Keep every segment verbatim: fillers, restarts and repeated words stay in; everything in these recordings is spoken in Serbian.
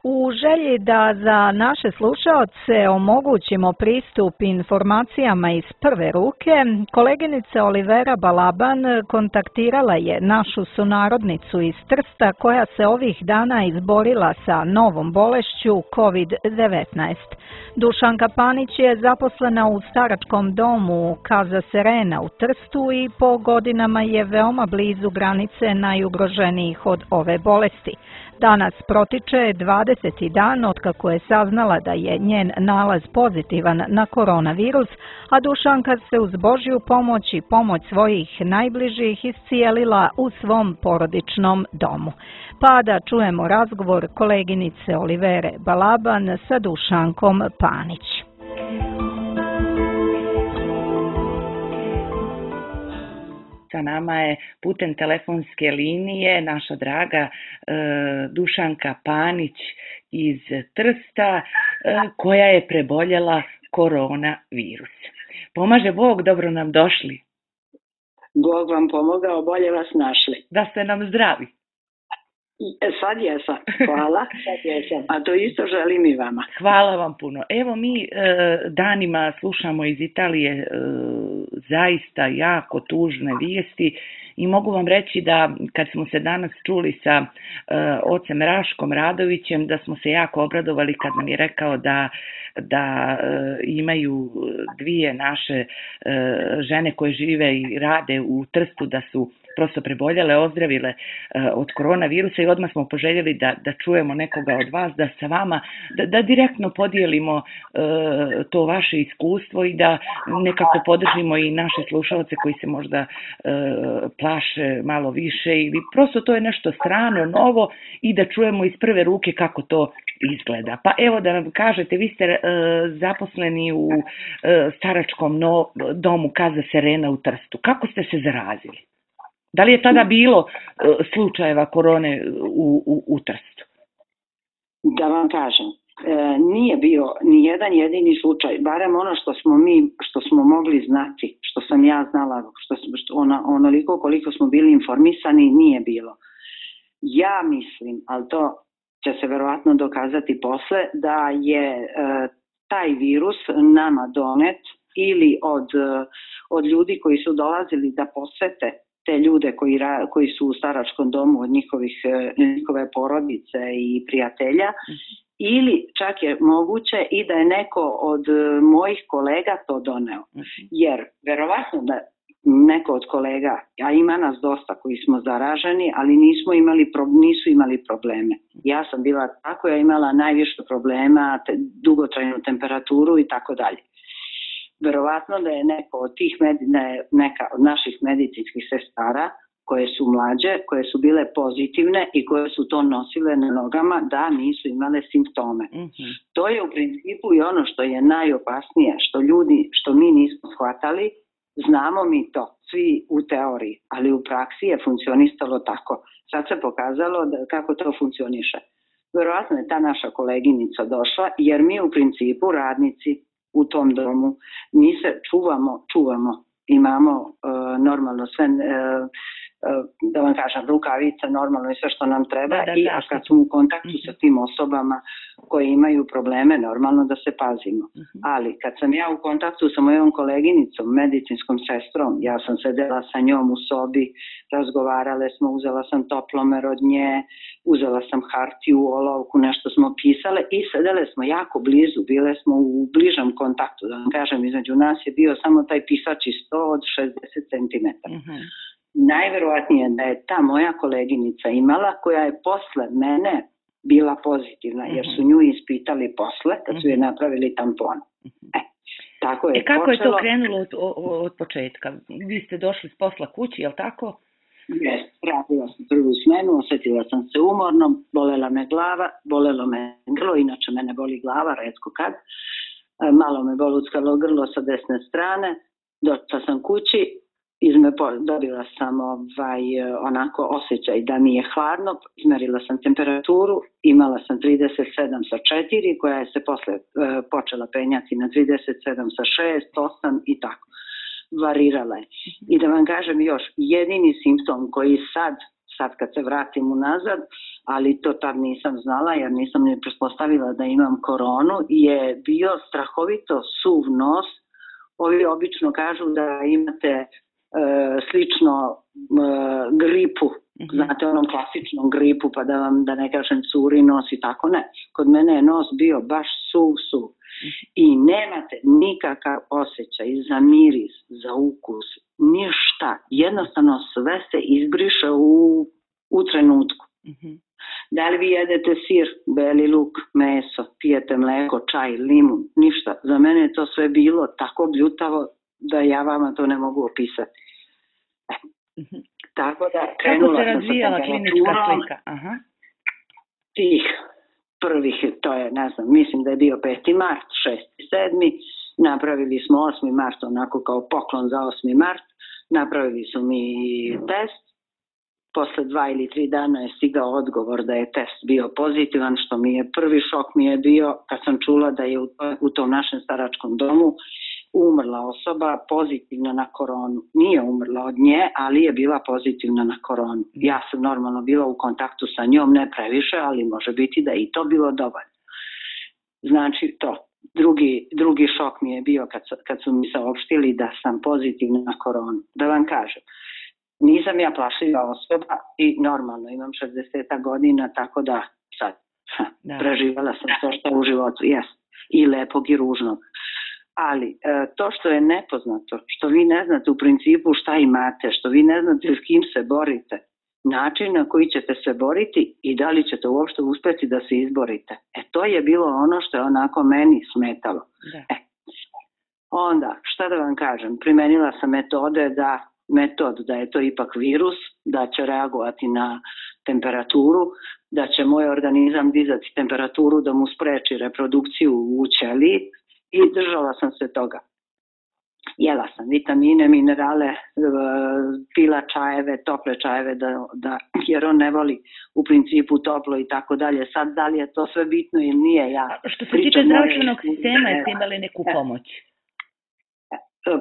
U želji da za naše slušaoce omogućimo pristup informacijama iz prve ruke, koleginica Olivera Balaban kontaktirala je našu sunarodnicu iz Trsta koja se ovih dana izborila sa novom bolešću kovid devetnaest. Dušanka Panić je zaposlena u staračkom domu Casa Serena u Trstu i po godinama je veoma blizu granice najugroženijih od ove bolesti. Danas protiče dvadeseti dan otkako je saznala da je njen nalaz pozitivan na koronavirus, a Dušanka se uz Božju pomoć i pomoć svojih najbližih iscijelila u svom porodičnom domu. Pa da čujemo razgovor koleginice Olivere Balaban sa Dušankom Panić. Sa nama je putem telefonske linije naša draga e, Dušanka Panić iz Trsta e, koja je preboljela koronavirus. Pomaže Bog, dobro nam došli. Bog vam pomogao, bolje vas našli. Da ste nam zdravi. E, sad jesam, hvala. Sad jesam. A to isto želim i vama. Hvala vam puno. Evo mi e, danima slušamo iz Italije e, zaista jako tužne vijesti i mogu vam reći da kad smo se danas čuli sa e, ocem Raškom Radovićem, da smo se jako obradovali kad nam je rekao da, da e, imaju dvije naše e, žene koje žive i rade u Trstu, da su prosto preboljele, ozdravile uh, od koronavirusa i odmah smo poželjeli da, da čujemo nekoga od vas, da sa vama, da, da direktno podijelimo uh, to vaše iskustvo i da nekako podržimo i naše slušalce koji se možda uh, plaše malo više ili prosto to je nešto strano, novo i da čujemo iz prve ruke kako to izgleda. Pa evo da nam kažete, vi ste uh, zaposleni u uh, staračkom no, domu Casa Serena u Trstu. Kako ste se zarazili? Da li je tada bilo uh, slučajeva korone u, u, u Trstu? Da vam kažem, e, nije bio ni jedan jedini slučaj, barem ono što smo mi, što smo mogli znati, što sam ja znala, što, što ona, onoliko koliko smo bili informisani, nije bilo. Ja mislim, ali to će se verovatno dokazati posle, da je e, taj virus nama donet ili od, od ljudi koji su dolazili da posete te ljude koji, ra, koji su u staračkom domu od njihovih, njihove porodice i prijatelja, mm-hmm. ili čak je moguće i da je neko od mojih kolega to doneo. Mm-hmm. Jer verovatno da neko od kolega, a ima nas dosta koji smo zaraženi, ali nismo imali, nisu imali probleme. Ja sam bila tako, ja imala najviše problema, te, dugotrajnu temperaturu i tako dalje. Verovatno da je neko od tih medine, neka od naših medicinskih sestara koje su mlađe, koje su bile pozitivne i koje su to nosile na nogama, da nisu imale simptome. Mm-hmm. To je u principu i ono što je najopasnije, što ljudi, što mi nismo shvatali, znamo mi to, svi u teoriji, ali u praksi je funkcionistalo tako. Sad se pokazalo da, kako to funkcioniše. Verovatno je ta naša koleginica došla, jer mi u principu radnici u tom domu, mi se čuvamo, čuvamo, imamo uh, normalno sve, uh, uh, da vam kažem, rukavice, normalno i sve što nam treba, da, da, i a kad smo u kontaktu mm-hmm. sa tim osobama koji imaju probleme, normalno da se pazimo. Mm-hmm. Ali kad sam ja u kontaktu sa mojom koleginicom, medicinskom sestrom, ja sam sedela sa njom u sobi, razgovarale smo, uzela sam toplomer od nje, uzela sam hartiju, olovku, nešto smo pisale i sedele smo jako blizu, bile smo u bližem kontaktu, da vam kažem, između nas je bio samo taj pisači sto od šezdeset centimetara. Mm-hmm. Najverovatnije da je ta moja koleginica imala, koja je posle mene bila pozitivna, mm-hmm. jer su nju ispitali posle, kad su je napravili tampon. Mm-hmm. E, tako je e kako počelo. Je to krenulo od, od početka? Vi ste došli s posla kući, je li tako? Jes, radila sam prvu smenu, osjetila sam se umorno, bolela me glava, bolelo me grlo, inače mene boli glava, retko kad. Malo me boluckalo grlo sa desne strane, došla sam kući, izme, dobila sam ovaj, onako osjećaj da mi je hladno, izmerila sam temperaturu, imala sam trideset sedam sa četiri, koja je se posle e, počela penjati na trideset sedam sa šest, osam i tako. Varirala je. I da vam kažem još, jedini simptom koji sad sad kad se vratim unazad, ali to tad nisam znala jer nisam ni pretpostavila da imam koronu, je bio strahovito suv nos. Ovi obično kažu da imate e, slično e, gripu, znate onom klasičnom gripu, pa da vam, da ne kažem, curi nos i tako, ne. Kod mene je nos bio baš suv, suv. I nemate nikakav osjećaj za miris, za ukus, ništa. Jednostavno sve se izbriše u, u trenutku. Da li vi jedete sir, beli luk, meso, pijete mleko, čaj, limun, ništa. Za mene je to sve bilo tako bljutavo da ja vama to ne mogu opisati. Mhm. Tako da Kako se razvijala klinička slika? Aha. Tih prvih, to je, ne znam, mislim da je bio peti mart, šesti, sedmi, napravili smo osmi mart onako kao poklon za osmi mart, napravili su mi test, posle dva ili tri dana je stigao odgovor da je test bio pozitivan, što mi je prvi šok mi je bio kad sam čula da je u, u tom našem staračkom domu umrla osoba pozitivna na koronu. Nije umrla od nje, ali je bila pozitivna na koronu. Ja sam normalno bila u kontaktu sa njom, ne previše, ali može biti da i to bilo dovoljno. Znači to. Drugi, drugi šok mi je bio kad, kad su mi saopštili da sam pozitivna na koronu. Da vam kažem, nisam ja plašljiva osoba i normalno imam šezdeset godina, tako da sad da. Preživala sam to što u životu jest. I lepog i ružnog. Ali to što je nepoznato, što vi ne znate u principu šta imate, što vi ne znate s kim se borite, način na koji ćete se boriti i da li ćete uopšte uspeti da se izborite. E to je bilo ono što je onako meni smetalo. E, onda, šta da vam kažem, primenila sam metode da, metod da je to ipak virus, da će reagovati na temperaturu, da će moj organizam dizati temperaturu da mu spreči reprodukciju u ćeliji. I držala sam se toga. Jela sam vitamine, minerale, pila čajeve, tople čajeve, da, da, jer on ne voli u principu toplo i tako dalje. Sad da li je to sve bitno ili nije, ja što se tiče zdravstvenog sistema, jeste imali neku pomoć?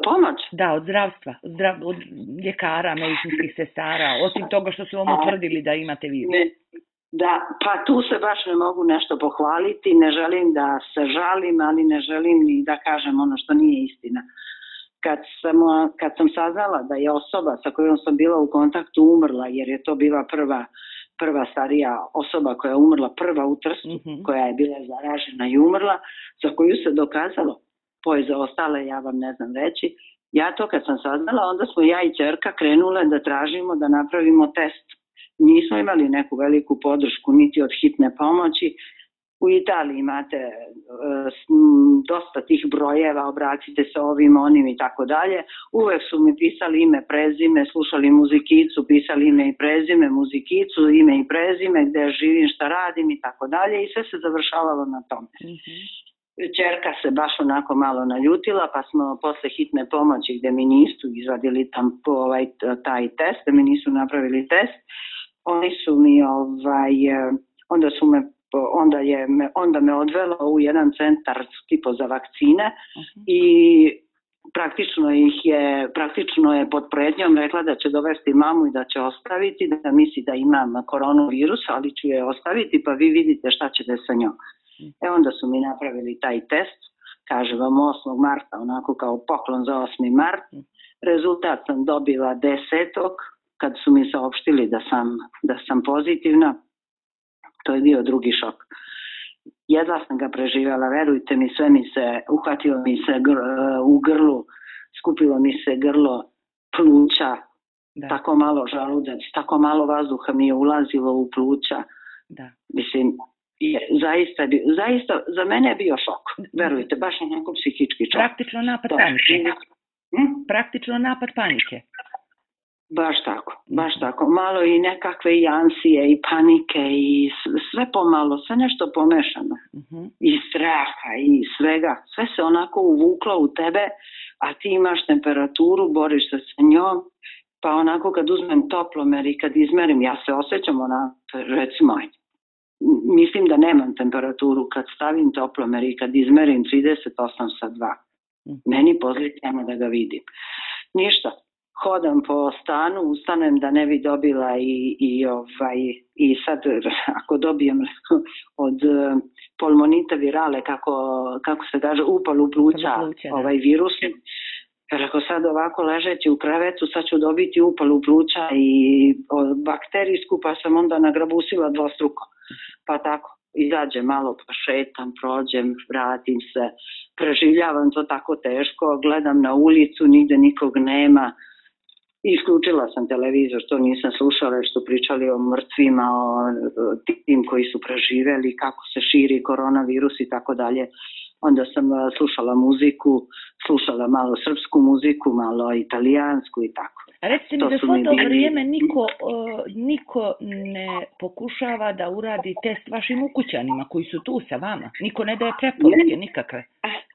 Pomoć? Da, od zdravstva, od, zdrav, od ljekara, medicinskih sestara, osim toga što su vam utvrdili da imate virus. Ne. Da, pa tu se baš ne mogu nešto pohvaliti, ne želim da se žalim, ali ne želim ni da kažem ono što nije istina. Kad sam, kad sam saznala da je osoba sa kojom sam bila u kontaktu umrla, jer je to bila prva, prva starija osoba koja je umrla, prva u Trstu, mm-hmm. koja je bila zaražena i umrla, za koju se dokazalo, poje za ostale ja vam ne znam reći, ja to kad sam saznala, onda smo ja i ćerka krenule da tražimo da napravimo test. Nismo imali neku veliku podršku niti od hitne pomoći. U Italiji imate e, dosta tih brojeva, obratite se ovim, onim i tako dalje. Uvek su mi pisali ime, prezime, slušali muzikicu, pisali ime i prezime, muzikicu, ime i prezime, gde živim, šta radim i tako dalje i sve se završavalo na tome. Mm-hmm. Ćerka se baš onako malo naljutila, pa smo posle hitne pomoći gde mi nisu izvadili tam ovaj, taj test, da mi nisu napravili test, oni su mi, ovaj, onda su me, onda je, onda me odvelo u jedan centar tipo za vakcine uh-huh. i praktično ih je, praktično je pod pretnjom rekla da će dovesti mamu i da će ostaviti, da misli da imam koronavirus, ali ću je ostaviti pa vi vidite šta ćete sa njom. E onda su mi napravili taj test, kaže vam osmog marta, onako kao poklon za osmi mart, rezultat sam dobila desetog kad su mi saopštili da sam, da sam pozitivna, to je bio drugi šok. Jedva sam ga preživjela, verujte mi, sve mi se, uhvatilo mi se gr, u grlu, skupilo mi se grlo, pluća, da. Tako malo žaludac, tako malo vazduha mi je ulazilo u pluća. Da. Mislim, je, zaista, zaista, za mene je bio šok, verujte, baš onako psihički šok. Praktično napad to. panike. Hm? Praktično napad panike. Baš tako, baš tako. Malo i nekakve i ansije i panike i sve pomalo, sve nešto pomešano. Uh-huh. I straha i svega. Sve se onako uvuklo u tebe, a ti imaš temperaturu, boriš se sa njom, pa onako kad uzmem toplomer i kad izmerim, ja se osjećam onako, recimo, mislim da nemam temperaturu, kad stavim toplomer i kad izmerim trideset osam sa dva. Uh-huh. Meni pozitivno da ga vidim. Ništa. hodam po stanu, ustanem da ne bi dobila i, i, ovaj, i sad ako dobijem od polmonita virale, kako, kako se kaže, upalu pluća, ovaj virus, jer ako sad ovako ležeći u krevetu, sad ću dobiti upalu pluća i bakterijsku, pa sam onda nagrabusila dvostruko. Pa tako, izađem malo, pa šetam, prođem, vratim se, preživljavam to tako teško, gledam na ulicu, nigde nikog nema. Isključila sam televizor, to nisam slušala, što pričali o mrtvima, o tim koji su preživeli, kako se širi koronavirus i tako dalje. Onda sam slušala muziku, slušala malo srpsku muziku, malo italijansku i tako. A recite mi, za svo to vrijeme niko, uh, niko ne pokušava da uradi test vašim ukućanima koji su tu sa vama? Niko ne daje preporuke nikakve?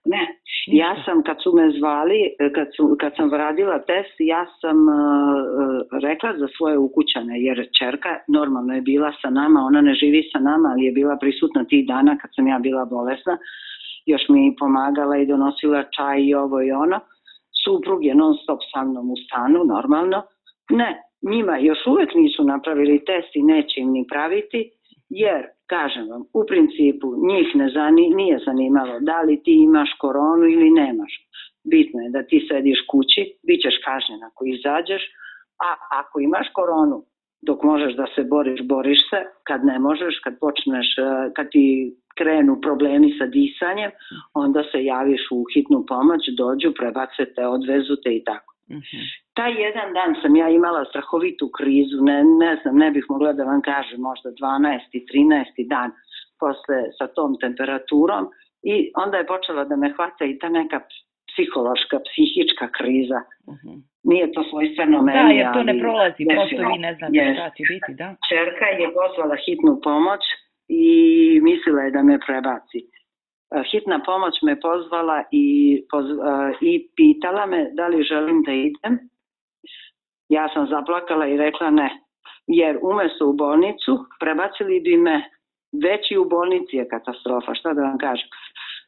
Ne, ja sam kad su me zvali, kad, su, kad sam radila test, ja sam uh, rekla za svoje ukućane, jer ćerka normalno je bila sa nama, ona ne živi sa nama, ali je bila prisutna tih dana kad sam ja bila bolesna, još mi pomagala i donosila čaj i ovo i ono. Suprug je non stop sa mnom u stanu, normalno. Ne, njima još uvek nisu napravili test i neće im ni praviti, jer, kažem vam, u principu njih ne zani, nije zanimalo da li ti imaš koronu ili nemaš. Bitno je da ti sediš kući, bit ćeš kažnjen ako izađeš, a ako imaš koronu, dok možeš da se boriš, boriš se, kad ne možeš, kad počneš, kad ti krenu problemi sa disanjem, onda se javiš u hitnu pomoć, dođu, prebace te, odvezu te i tako. Uh-huh. Taj jedan dan sam ja imala strahovitu krizu, ne, ne znam, ne bih mogla da vam kažem, možda dvanaesti, trinaesti dan posle sa tom temperaturom i onda je počela da me hvata i ta neka psihološka, psihička kriza. Uh-huh. Nije to svojstveno meni. Da, jer to ne prolazi, prosto vi ne znate yes. šta će biti, da. Čerka je pozvala hitnu pomoć i mislila je da me prebaci. Hitna pomoć me pozvala i, poz, i pitala me da li želim da idem. Ja sam zaplakala i rekla ne, jer umesto u bolnicu prebacili bi me, već i u bolnici je katastrofa, šta da vam kažem,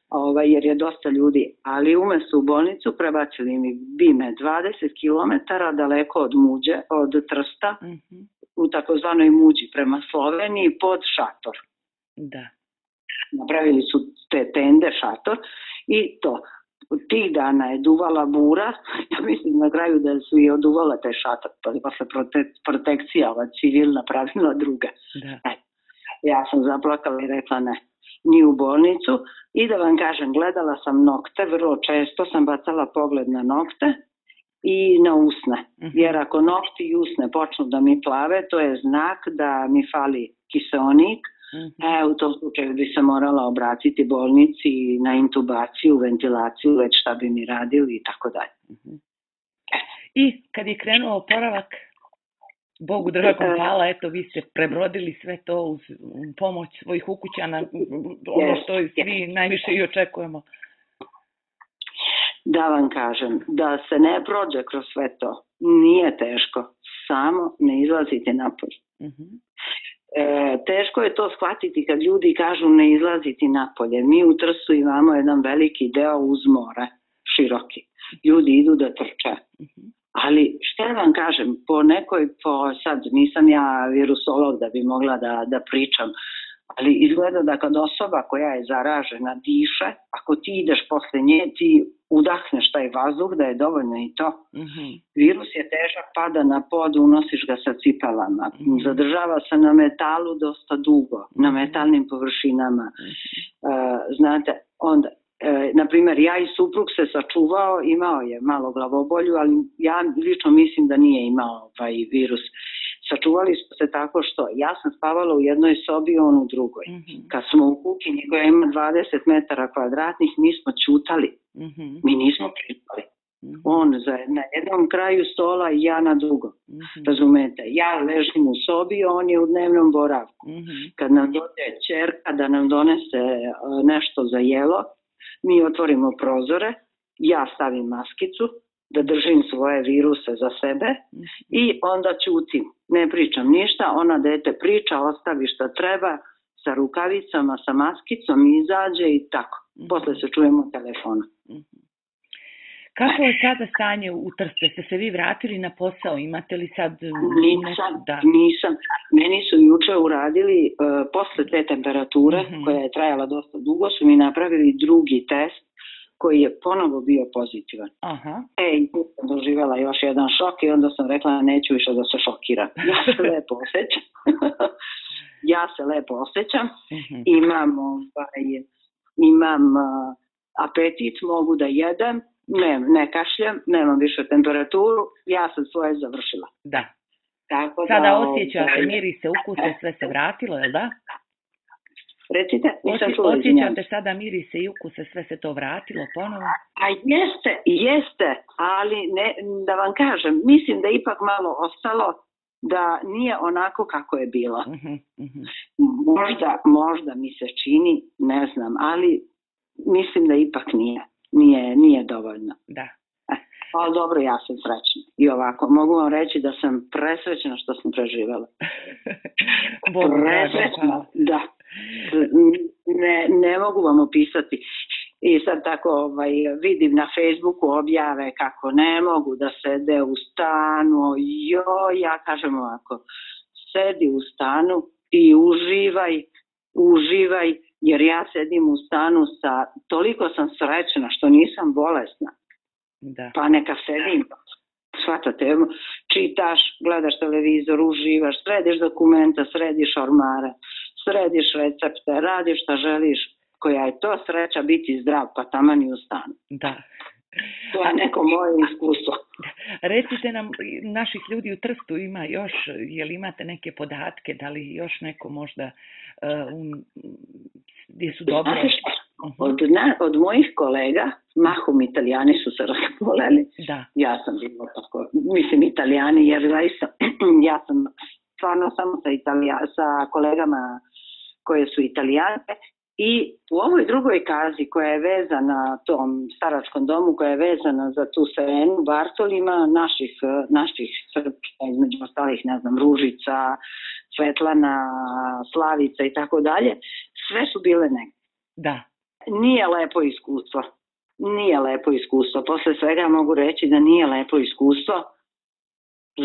ovaj, jer je dosta ljudi, ali umesto u bolnicu prebacili mi bi me dvadeset kilometara daleko od Muđe, od Trsta, mm-hmm. u takozvanoj Muđi prema Sloveniji pod šator. Da. Napravili su te tende, šator i to. Tih dana je duvala bura, ja mislim na kraju da su i oduvala te šator, pa posle prote, protekcija ova civilna pravila druga. Da. E, ja sam zaplakala i rekla ne, ni u bolnicu i da vam kažem, gledala sam nokte, vrlo često sam bacala pogled na nokte i na usne, uh-huh. jer ako nokti i usne počnu da mi plave, to je znak da mi fali kiseonik. Uh-huh. E, u tom slučaju bi se morala obratiti bolnici na intubaciju, ventilaciju, već šta bi mi radili i tako dalje. Uh-huh. I kad je krenuo oporavak, Bogu dragom hvala, eto vi ste prebrodili sve to uz pomoć svojih ukućana, ono što svi najviše i očekujemo. Da vam kažem, da se ne prođe kroz sve to, nije teško, samo ne izlazite napolje. Uh-huh. E, teško je to shvatiti kad ljudi kažu ne izlaziti napolje. Mi u Trstu imamo jedan veliki deo uz more, široki. Ljudi idu da trče. Ali šta vam kažem, po nekoj, po, sad nisam ja virusolog da bi mogla da, da pričam, ali izgleda da kad osoba koja je zaražena diše, ako ti ideš posle nje, ti udahneš taj vazduh, da je dovoljno i to. Mm-hmm. Virus je težak, pada na pod, unosiš ga sa cipelama. Mm-hmm. Zadržava se na metalu dosta dugo, mm-hmm. na metalnim površinama. Mm-hmm. Uh, znate, onda, uh, na primjer, ja i suprug se sačuvao, imao je malo glavobolju, ali ja lično mislim da nije imao ovaj virus. Sačuvali smo se tako što ja sam spavala u jednoj sobi, on u drugoj. Mm-hmm. Kad smo u kuhinji koja ima dvadeset metara kvadratnih, mi smo ćutali. Mm-hmm. Mi nismo pričali. Mm-hmm. On za, na jednom kraju stola i ja na drugom. Mm-hmm. Razumete? Ja ležim u sobi, on je u dnevnom boravku. Mm-hmm. Kad nam dođe ćerka da nam donese uh, nešto za jelo, mi otvorimo prozore, ja stavim maskicu, da držim svoje viruse za sebe mm-hmm. i onda ćutim. Ne pričam ništa, ona dete priča, ostavi što treba, sa rukavicama, sa maskicom, izađe i tako. Mm-hmm. Posle se čujemo telefona. Mm-hmm. Kako je sada stanje u Trstu? Ste se vi vratili na posao? Imate li sad... Nisam, da. nisam. Meni su juče uradili, uh, posle te temperature, mm-hmm. koja je trajala dosta dugo, su mi napravili drugi test koji je ponovo bio pozitivan. Aha. E, i tu sam doživjela još jedan šok i onda sam rekla neću više da se šokiram. Ja se lepo osjećam. ja se lepo osjećam. Mm-hmm. Imam, ovaj, imam uh, apetit, mogu da jedem. Ne, ne kašljam, nemam više temperaturu, ja sam svoje završila. Da. Tako Sada da, osjećate ovaj... mirise, ukuse, sve se vratilo, je li da? Recite, nisam Osje, čula, osjećate sada mirise i ukuse, sve se to vratilo ponovo? A jeste, jeste, ali ne, da vam kažem, mislim da ipak malo ostalo da nije onako kako je bilo. Uh-huh, uh-huh. Možda, možda mi se čini, ne znam, ali mislim da ipak nije. Nije, nije dovoljno. Da. E, ali dobro, ja sam srećna. I ovako, mogu vam reći da sam presrećna što sam preživjela. Presrećna, da. Ne, ne mogu vam opisati. I sad tako ovaj, vidim na Facebooku objave kako ne mogu da sede u stanu. Jo, ja kažem ovako, sedi u stanu i uživaj, uživaj. Jer ja sedim u stanu sa, toliko sam srećna što nisam bolesna. Da. Pa neka sedim, shvatate, čitaš, gledaš televizor, uživaš, središ dokumenta, središ ormare, središ recepte, radiš šta želiš, koja je to sreća biti zdrav, pa taman i u stanu. Da. To je neko moje iskustvo. Recite nam, naših ljudi u Trstu ima još, je li imate neke podatke, da li još neko možda uh, um, gdje su dobro? Od, na, od mojih kolega, mahom Italijani su se razboleli. Da. Ja sam bila tako, mislim Italijani, jer zaista, ja sam stvarno samo sa, Italija, sa kolegama koje su Italijanke. I u ovoj drugoj kazi koja je vezana tom staračkom domu, koja je vezana za tu Serenu Bartolima, naših, naših srpska, između ostalih, ne znam, Ružica, Svetlana, Slavica i tako dalje, sve su bile negdje. Da. Nije lepo iskustvo. Nije lepo iskustvo. Posle svega mogu reći da nije lepo iskustvo.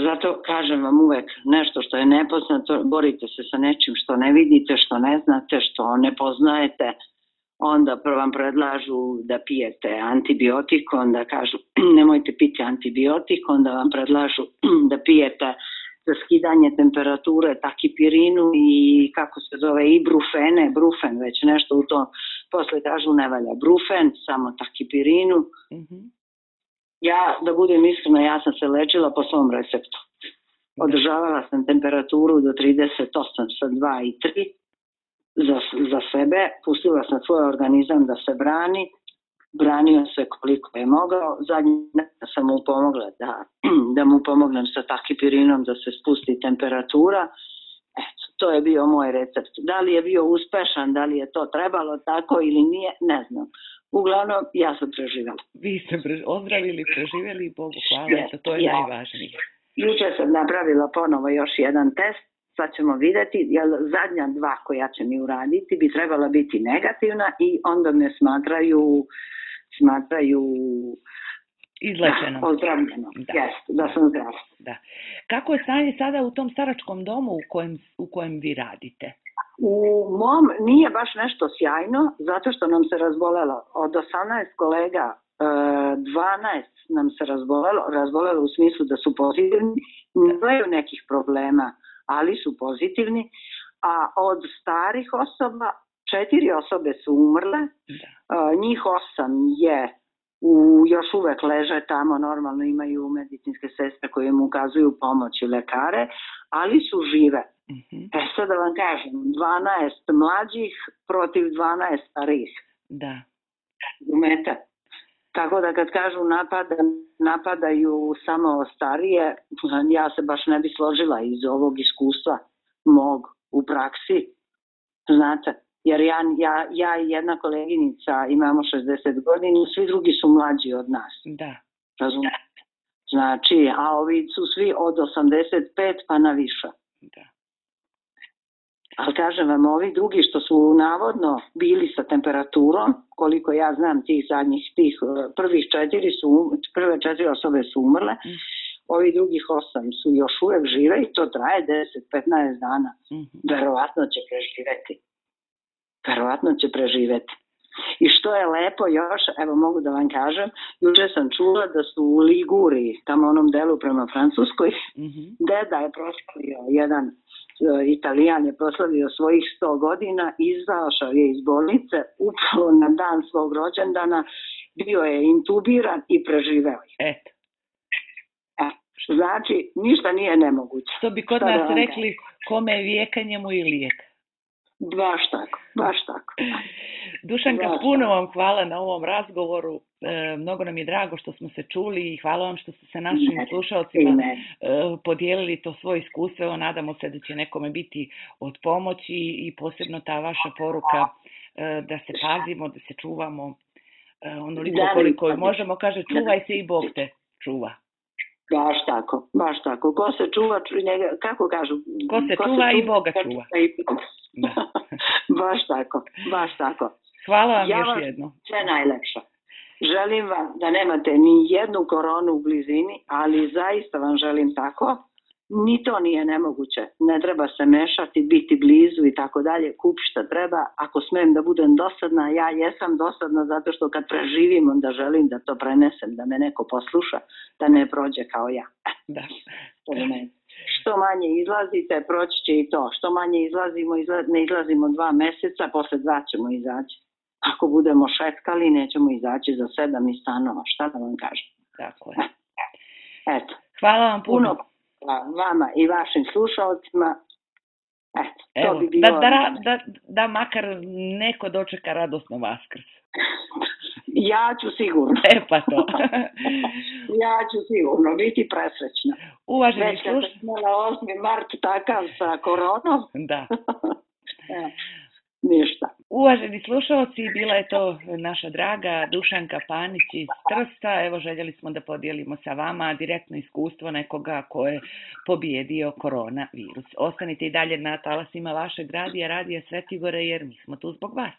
Zato kažem vam uvek nešto što je nepoznato, borite se sa nečim što ne vidite, što ne znate, što ne poznajete, onda vam predlažu da pijete antibiotik, onda kažu nemojte piti antibiotik, onda vam predlažu da pijete za skidanje temperature takipirinu i kako se zove ibrufene, brufen, već nešto u to, posle kažu ne valja brufen, samo takipirinu. Mhm. Ja, da budem iskrena, ja sam se lečila po svom receptu. Održavala sam temperaturu do trideset osam sa dva i tri za, za sebe. Pustila sam svoj organizam da se brani. Branio se koliko je mogao. Zadnji sam mu pomogla da, da mu pomognem sa takipirinom da se spusti temperatura. Eto, to je bio moj recept. Da li je bio uspešan, da li je to trebalo tako ili nije, ne znam. Uglavnom, ja sam preživjela. Vi ste pre, ozdravili, preživjeli i Bogu hvala, yes, to, to je ja. najvažnije. Juče sam napravila ponovo još jedan test, sad ćemo vidjeti, jer zadnja dva koja će mi uraditi bi trebala biti negativna i onda me smatraju, smatraju izlečeno. Da, ozdravljeno. Da. Yes, da sam zdrava. Da. Kako je stanje sada u tom staračkom domu u kojem, u kojem vi radite? U mom nije baš nešto sjajno, zato što nam se razbolelo. Od osamnaest kolega, dvanaest nam se razbolelo, razbolelo u smislu da su pozitivni, nemaju nekih problema, ali su pozitivni, a od starih osoba, četiri osobe su umrle, da. Njih osam je u, još uvek leže tamo, normalno imaju medicinske sestre koje im ukazuju pomoć i lekare, ali su žive. Mm-hmm. E sad da vam kažem, dvanaest mlađih protiv dvanaest starih. Da. Umete. Tako da kad kažu napada, napadaju samo starije, ja se baš ne bi složila iz ovog iskustva mog u praksi. Znate, jer ja, ja, ja i jedna koleginica imamo šezdeset godina, svi drugi su mlađi od nas. Da. Razumete? Znači, a ovi su svi od osamdeset pet pa na više. Da. Ali kažem vam, ovi drugi što su navodno bili sa temperaturom, koliko ja znam tih zadnjih, tih prvih četiri su, prve četiri osobe su umrle, mm. ovi drugih osam su još uvijek žive i to traje deset do petnaest dana. Mm-hmm. Verovatno će preživeti. Verovatno će preživeti. I što je lepo još, evo mogu da vam kažem, juče sam čula da su u Liguriji, tamo onom delu prema Francuskoj, mm-hmm. deda je proslavio, jedan uh, Italijan je proslavio svojih sto godina, izašao je iz bolnice, upravo na dan svog rođendana, bio je intubiran i preživeo je. Eto. E, znači, ništa nije nemoguće. Što bi kod nas rekli, kome je vijeka njemu i lijek. Baš tako, baš tako. Dušanka, baš puno vam hvala na ovom razgovoru. E, mnogo nam je drago što smo se čuli i hvala vam što ste se našim ne, slušalcima e, podijelili to svoje iskustvo. Evo, nadamo se da će nekome biti od pomoći i posebno ta vaša poruka e, da se pazimo, da se čuvamo e, onoliko da, koliko možemo. Kaže, čuvaj se i Bog te čuva. Baš tako, baš tako. Ko se čuva, kako kažu? Ko se ko čuva se i Boga čuva. I da. Baš tako, baš tako. Hvala vam ja još vam jedno. Sve najlepše. Želim vam da nemate ni jednu koronu u blizini, ali zaista vam želim tako. Ni to nije nemoguće. Ne treba se mešati, biti blizu i tako dalje. Kup šta treba. Ako smijem da budem dosadna, ja jesam dosadna zato što kad preživim, onda želim da to prenesem, da me neko posluša, da ne prođe kao ja. Da. Što manje izlazite, proći će i to. Što manje izlazimo, izla, ne izlazimo dva meseca, posle dva ćemo izaći. Ako budemo šetkali, nećemo izaći za sedam iz stanova. Šta da vam kažem? Tako je. Eto. Hvala vam puno. puno vama i vašim slušalcima. Eto, Evo, to bi bilo... Da, da, da, da makar neko dočeka radosno Vaskrs. Ja ću sigurno. E pa to. Ja ću sigurno biti presrećna. Uvaženi Već kad sam imala osmi mart takav sa koronom. Da. e, ništa. Uvaženi slušalci, bila je to naša draga Dušanka Panić iz Trsta. Evo, željeli smo da podijelimo sa vama direktno iskustvo nekoga ko je pobjedio koronavirus. Ostanite i dalje na talasima vašeg radija, Radija Svetogore, jer mi smo tu zbog vas.